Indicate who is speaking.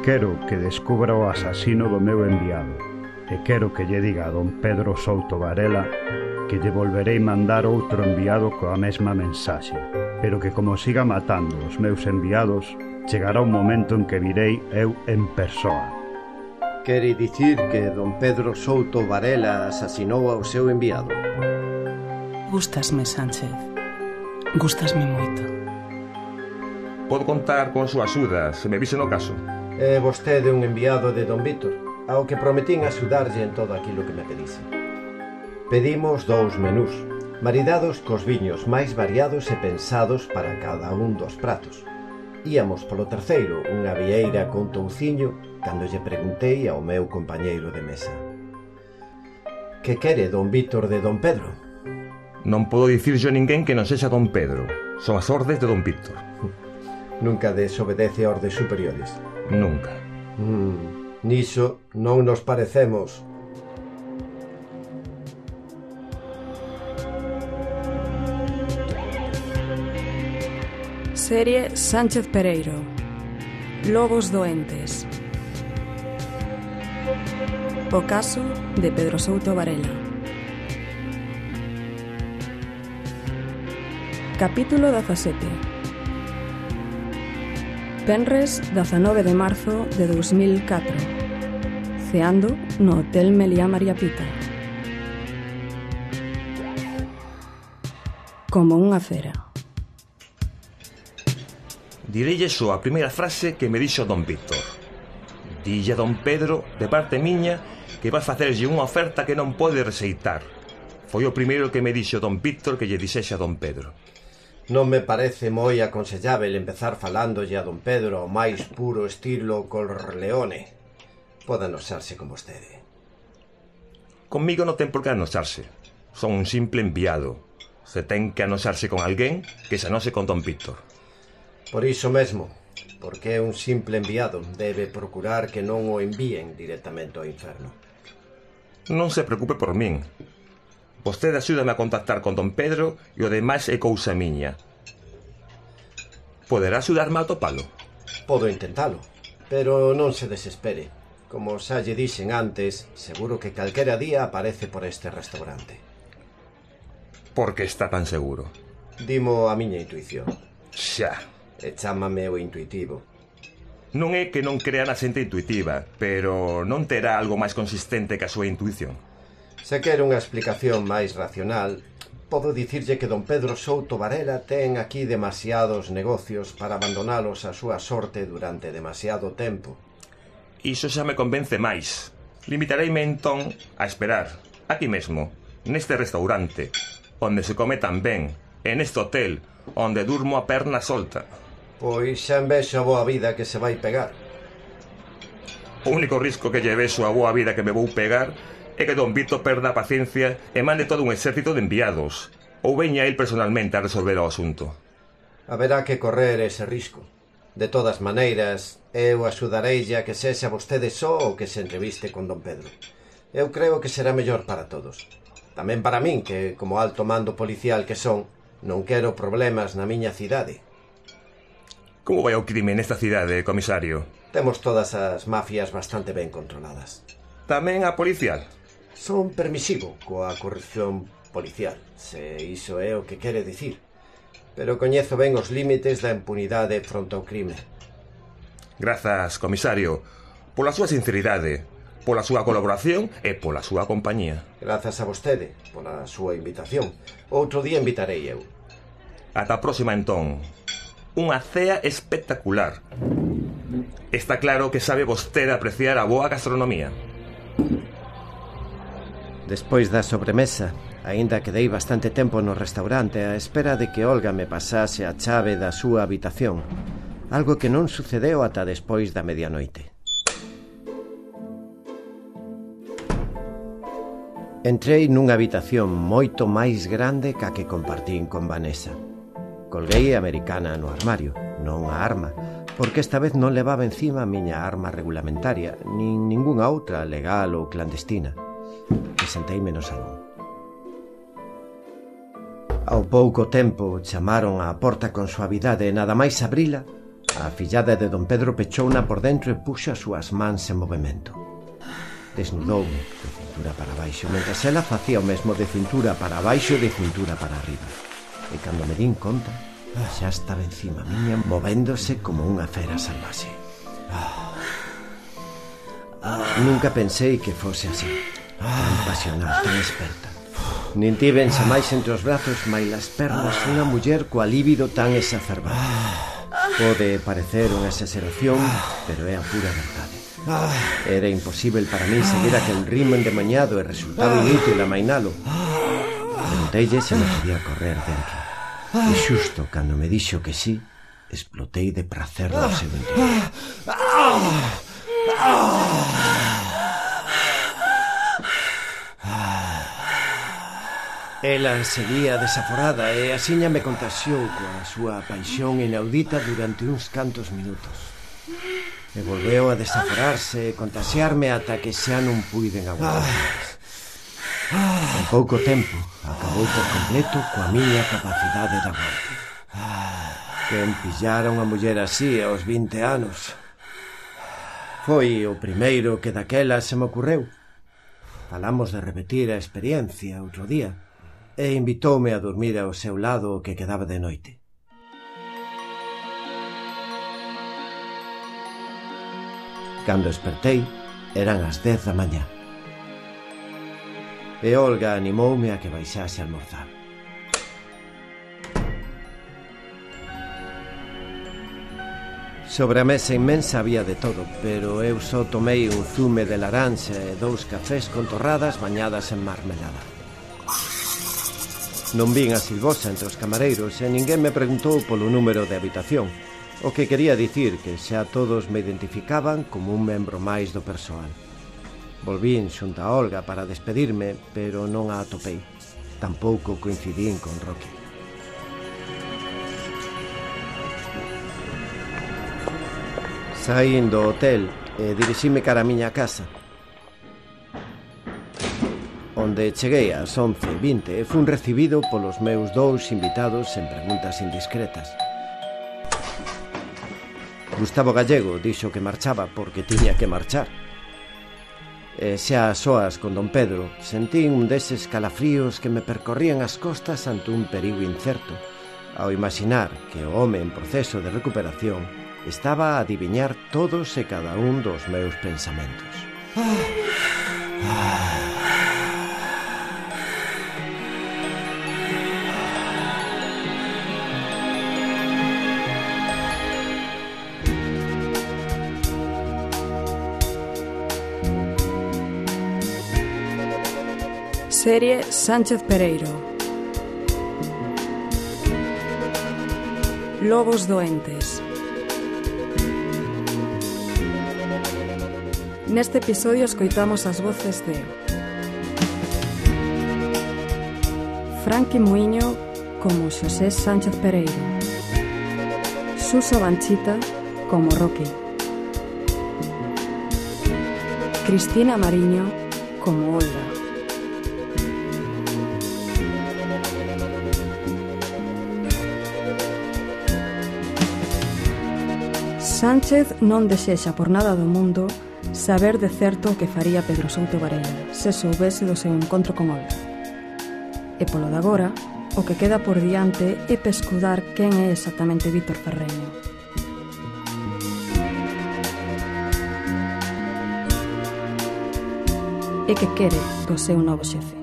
Speaker 1: quero que descubra o asasino do meu enviado e quero que lle diga a don Pedro Souto Varela que lle volverei mandar outro enviado coa mesma mensaxe, pero que como siga matando os meus enviados, chegará un momento en que virei eu en persoa.
Speaker 2: Quere dicir que don Pedro Souto Varela asasinou ao seu enviado?
Speaker 3: Gústasme, Sánchez. Gústasme moito.
Speaker 4: Podo contar con súa axuda se me vise no caso.
Speaker 2: É vostede un enviado de don Víctor, ao que prometín axudarlle en todo aquilo que me pedise. Pedimos 2 menús, maridados cos viños máis variados e pensados para cada un dos pratos. Íamos polo terceiro, unha vieira con touciño, cando lle preguntei ao meu compañeiro de mesa: que quere don Víctor de don Pedro?
Speaker 4: Non podo dicir yo a ninguén que non sexa don Pedro. Son as ordes de don Víctor.
Speaker 2: Nunca desobedece ordes superiores.
Speaker 4: Nunca.
Speaker 2: Niso non nos parecemos.
Speaker 3: Serie Sánchez Pereiro. Lobos doentes. O caso de Pedro Souto Varela. Capítulo 17. Penres 19 de marzo de 2004. Ceando no Hotel Meliá María Pita. Como unha cera.
Speaker 4: Direille só a primeira frase que me dixo don Víctor. Dille a don Pedro, de parte miña, que vai facerlle unha oferta que non pode rexeitar. Foi o primeiro que me dixo don Víctor que lle dixese a don Pedro.
Speaker 2: Non me parece moi aconsellável empezar falándolle a don Pedro ao máis puro estilo Corleone. Pode anosarse con vostede.
Speaker 4: Conmigo non ten por que anosarse. Son un simple enviado. Se ten que anosarse con alguén, que se anose con don Víctor.
Speaker 2: Por iso mesmo, porque é un simple enviado, debe procurar que non o envíen directamente ao inferno.
Speaker 4: Non se preocupe por min. Vostede axúdame a contactar con don Pedro e o demais é cousa miña. Poderá axudarme a atopalo?
Speaker 2: Podo intentalo, pero non se desespere. Como xa lle dixen antes, seguro que calquera día aparece por este restaurante.
Speaker 4: Por que está tan seguro?
Speaker 2: Dimo a miña intuición.
Speaker 4: Xa.
Speaker 2: E chámame o intuitivo.
Speaker 4: Non é que non crea na xente intuitiva, pero non terá algo máis consistente que a súa intuición.
Speaker 2: Se quere unha explicación máis racional, podo dicirlle que don Pedro Souto Varela ten aquí demasiados negocios para abandonalos a súa sorte durante demasiado tempo.
Speaker 4: Iso xa me convence máis. Limitareime entón a esperar, aquí mesmo, neste restaurante, onde se come tan ben, e neste hotel, onde durmo a perna solta.
Speaker 2: Pois xa envexo a boa vida que se vai pegar.
Speaker 4: O único risco que lle vexo a boa vida que me vou pegar é que don Víctor perda a paciencia e mande todo un exército de enviados, ou veña el personalmente a resolver o asunto.
Speaker 2: Haberá que correr ese risco. De todas maneiras, eu axudareille a que sexa vostede só o que se entreviste con don Pedro. Eu creo que será mellor para todos. Tamén para min, que como alto mando policial que son, non quero problemas na miña cidade.
Speaker 4: Como vai o crime nesta cidade, comisario?
Speaker 2: Temos todas as mafias bastante ben controladas.
Speaker 4: Tamén a policial?
Speaker 2: Son permisivo coa corrupción policial, se iso é o que quere dicir. Pero coñezo ben os límites da impunidade fronte ao crime.
Speaker 4: Grazas, comisario, pola súa sinceridade, pola súa colaboración e pola súa compañía.
Speaker 2: Grazas a vostede, pola súa invitación. Outro día invitarei eu.
Speaker 4: Ata a próxima, entón. Unha cea espectacular. Está claro que sabe vostede apreciar a boa gastronomía.
Speaker 2: Despois da sobremesa, aínda quedei bastante tempo no restaurante á espera de que Olga me pasase a chave da súa habitación, algo que non sucedeu ata despois da medianoite. Entrei nunha habitación moito máis grande ca que compartín con Vanessa. Colguei a americana no armario, non a arma, porque esta vez non levaba encima a miña arma regulamentaria, nin ningunha outra legal ou clandestina. E senteime no salón. Ao pouco tempo chamaron á porta con suavidade e nada máis abrila, A fillada de don Pedro pechouna por dentro e puxo as súas mans en movimento. Desnudoume de cintura para baixo, mentras ela facía o mesmo de cintura para baixo e de cintura para arriba. E cando me din conta, xa estaba encima miña, movéndose como unha fera salvaxe. Nunca pensei que fose así, tan pasional, tan experta. Nin tiven xa máis entre os brazos máis as pernas unha muller coa líbido tan exacerbada. Pode parecer unha exageración, pero é a pura verdade. Era imposible para mí seguir aquel ritmo endemañado e resultaba inútil amainalo. Pregunteille se me podía correr dentro. E xusto cando me dixo que sí, explotei de prazer no seu interior. Ela seguía desaforada e asiña me contaxiou coa súa paixón inaudita durante uns cantos minutos. E volveu a desaforarse e contaxiarme ata que xa non puiden aguardar. En pouco tempo acabou por completo coa miña capacidade de aguante. Quen pillara unha muller así aos 20 anos? Foi o primeiro que daquela se me ocurreu. Falamos de repetir a experiencia outro día e invitoume a dormir ao seu lado o que quedaba de noite. Cando despertei, eran as 10 da mañá. E Olga animoume a que baixase a almorzar. Sobre a mesa inmensa había de todo, pero eu só tomei un zume de laranxa e 2 cafés con torradas bañadas en marmelada. Non vin a Silvosa entre os camareiros e ninguén me preguntou polo número de habitación, o que quería dicir que xa todos me identificaban como un membro máis do persoal. Volvín xunto a Olga para despedirme, pero non a atopei. Tampouco coincidín con Rocky. Saín do hotel e dirixime cara a miña casa, onde cheguei ás 11:20 e fun recibido polos meus 2 invitados en preguntas indiscretas. Gustavo Gallego dixo que marchaba porque tiña que marchar. E xa a soas con don Pedro sentín un deses calafríos que me percorrían as costas ante un perigo incerto, ao imaginar que o home en proceso de recuperación estaba a adiviñar todos e cada un dos meus pensamentos.
Speaker 3: Serie Sánchez Pereiro. Lobos doentes. Neste episodio escoitamos as voces de Franqui Muiño como Xosé Sánchez Pereiro, Suso Banchita como Rocky, Cristina Mariño como Olga, Sánchez non desexa por nada do mundo saber de certo o que faría Pedro Souto Varela se soubese do seu encontro con Olga. E polo de agora, o que queda por diante é pescudar quen é exactamente Víctor Ferreño. E que quere do seu novo xefe.